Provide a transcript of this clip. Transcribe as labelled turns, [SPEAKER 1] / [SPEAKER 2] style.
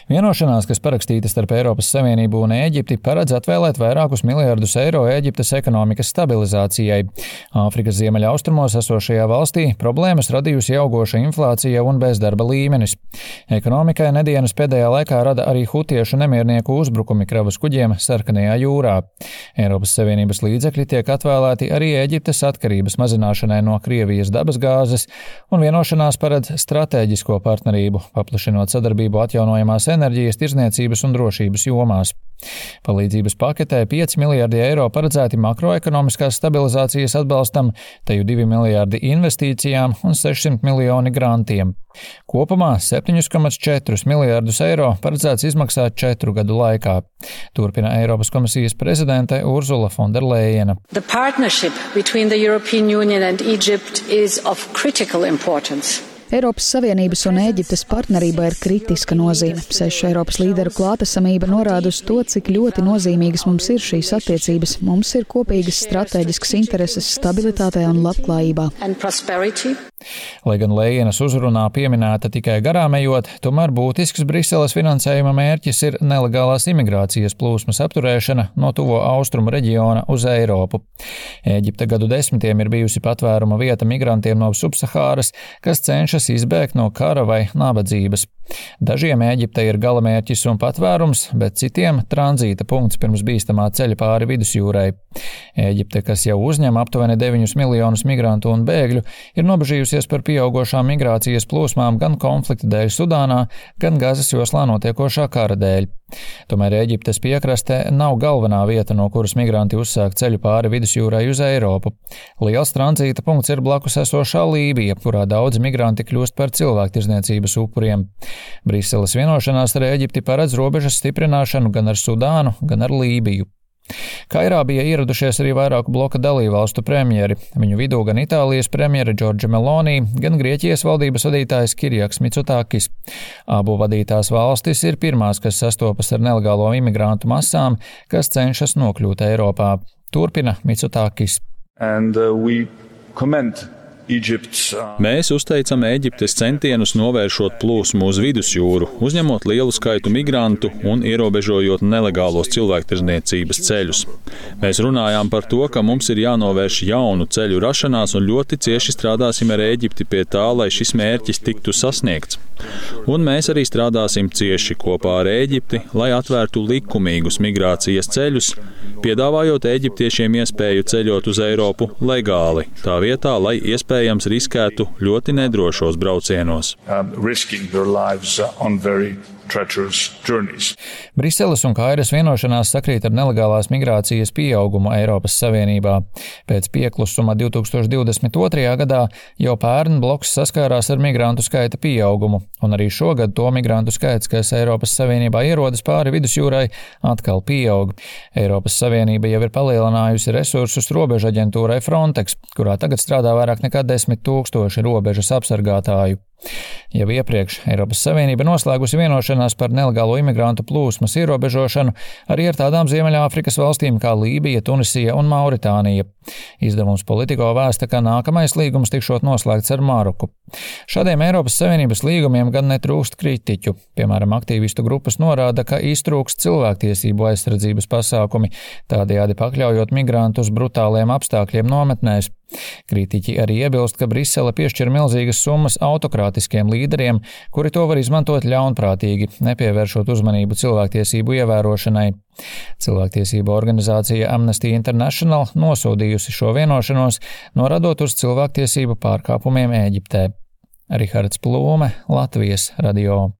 [SPEAKER 1] Vienošanās, kas parakstīta starp Eiropas Savienību un Ēģipti, paredz atvēlēt vairākus miljardus eiro Ēģiptes ekonomikas stabilizācijai. Āfrikas ziemeļaustrumos esošajā valstī problēmas radījusi augoša inflācija un bezdarba līmenis. Ekonomikai nedēļas pēdējā laikā rada arī hutiešu nemiernieku uzbrukumi kravas kuģiem Sarkanajā jūrā. Eiropas Savienības līdzekļi tiek atvēlēti arī Ēģiptes atkarības mazināšanai no Krievijas dabasgāzes, un vienošanās paredz stratēģisko partnerību, paplašinot sadarbību atjaunojamās enerģijas, tirdzniecības un drošības jomās. Palīdzības paketē 5 miljardi eiro paredzēti makroekonomiskās stabilizācijas atbalstam, teju 2 miljardi investīcijām un 600 miljoni grantiem. Kopumā 7,4 miljardus eiro paredzēts izmaksāt 4 gadu laikā. Turpina Eiropas komisijas prezidente Ursula von der Leyena.
[SPEAKER 2] The partnership between the European Union and Egypt is of critical importance.
[SPEAKER 3] Eiropas Savienības un Ēģiptes partnerībā ir kritiska nozīme. 6 Eiropas līderu klātesamība norāda uz to, cik ļoti nozīmīgas mums ir šīs attiecības. Mums ir kopīgas stratēģiskas intereses stabilitātē un labklājībā.
[SPEAKER 1] Lai gan Lejenas uzrunā pieminēta tikai garām ejot, tomēr būtisks Briseles finansējuma mērķis ir nelegālās imigrācijas plūsmas apturēšana no tuvo austrumu reģiona uz Eiropu. Ēģipte gadu desmitiem ir bijusi patvēruma vieta migrantiem no Subsahāras, kas cenšas izbēgt no kara vai nabadzības. Dažiem Ēģipte ir galamērķis un patvērums, bet citiem tranzīta punkts pirms bīstamā ceļa pāri vidusjūrai. Ēģipte, kas jau uzņem aptuveni 9 miljonus migrantu un bēgļu, ir nobežījusies par pieaugošām migrācijas plūsmām gan konflikta dēļ Sudānā, gan Gazas joslā notiekošā kara dēļ. Tomēr Ēģiptes piekrastē nav galvenā vieta, no kuras migranti uzsāk ceļu pāri vidusjūrai uz Eiropu. Liels tranzīta punkts ir blakus esošā Lībija, kurā daudzi migranti kļūst par cilvēktirdzniecības upuriem. Briseles vienošanās ar Ēģipti paredz robežas stiprināšanu gan ar Sudānu, gan ar Lībiju. Kairā bija ieradušies arī vairāku bloka dalībvalstu premjeri, viņu vidū gan Itālijas premjere Giorgia Meloni, gan Grieķijas valdības vadītājs Kirjaks Mitsotakis. Abu vadītās valstis ir pirmās, kas sastopas ar nelegālo imigrantu masām, kas cenšas nokļūt Eiropā. Turpina Mitsotakis.
[SPEAKER 4] Mēs uzteicam Ēģiptes centienus novēršot plūsmu uz vidusjūru, uzņemot lielu skaitu migrantu un ierobežojot nelegālos cilvēktirdzniecības ceļus. Mēs runājām par to, ka mums ir jānovērš jaunu ceļu rašanās un ļoti cieši strādāsim ar Ēģipti pie tā, lai šis mērķis tiktu sasniegts. Un mēs arī strādāsim cieši kopā ar Ēģipti, lai atvērtu likumīgus migrācijas ceļus, piedāvājot eģiptiešiem iespēju ceļot uz Eiropu legāli, tā vietā, lai iespējams riskētu ļoti nedrošos braucienos.
[SPEAKER 1] Briseles un Kairas vienošanās sakrīt ar nelegālās migrācijas pieaugumu Eiropas Savienībā. Pēc pieklusuma 2022. gadā jau pērn bloks saskārās ar migrantu skaita pieaugumu, un arī šogad to migrantu skaits, kas Eiropas Savienībā ierodas pāri vidusjūrai, atkal pieaug. Eiropas Savienība jau ir palielinājusi resursus robežu aģentūrai Frontex, kurā tagad strādā vairāk nekā 10 000 robežas apsargātāju. Jau iepriekš Eiropas Savienība noslēgusi vienošanās par nelegālo imigrantu plūsmas ierobežošanu arī ar tādām Ziemeļāfrikas valstīm kā Lībija, Tunisija un Mauritānija. Izdevums Politico vēsta, ka nākamais līgums tikšot noslēgts ar Maroku. Šādiem Eiropas Savienības līgumiem gan netrūkst kritiķu. Piemēram, aktīvistu grupas norāda, ka iztrūkst cilvēktiesību aizsardzības pasākumi, tādējādi pakļaujot migrantus brutāliem apstākļiem nometnēs. Kritiķi arī iebilst, ka Brisele piešķir milzīgas summas autokrātiskiem līderiem, kuri to var izmantot ļaunprātīgi, nepievēršot uzmanību cilvēktiesību ievērošanai. Cilvēktiesību organizācija Amnesty International nosodījusi šo vienošanos, norādot uz cilvēktiesību pārkāpumiem Ēģiptē. Rihards Plūme, Latvijas radio.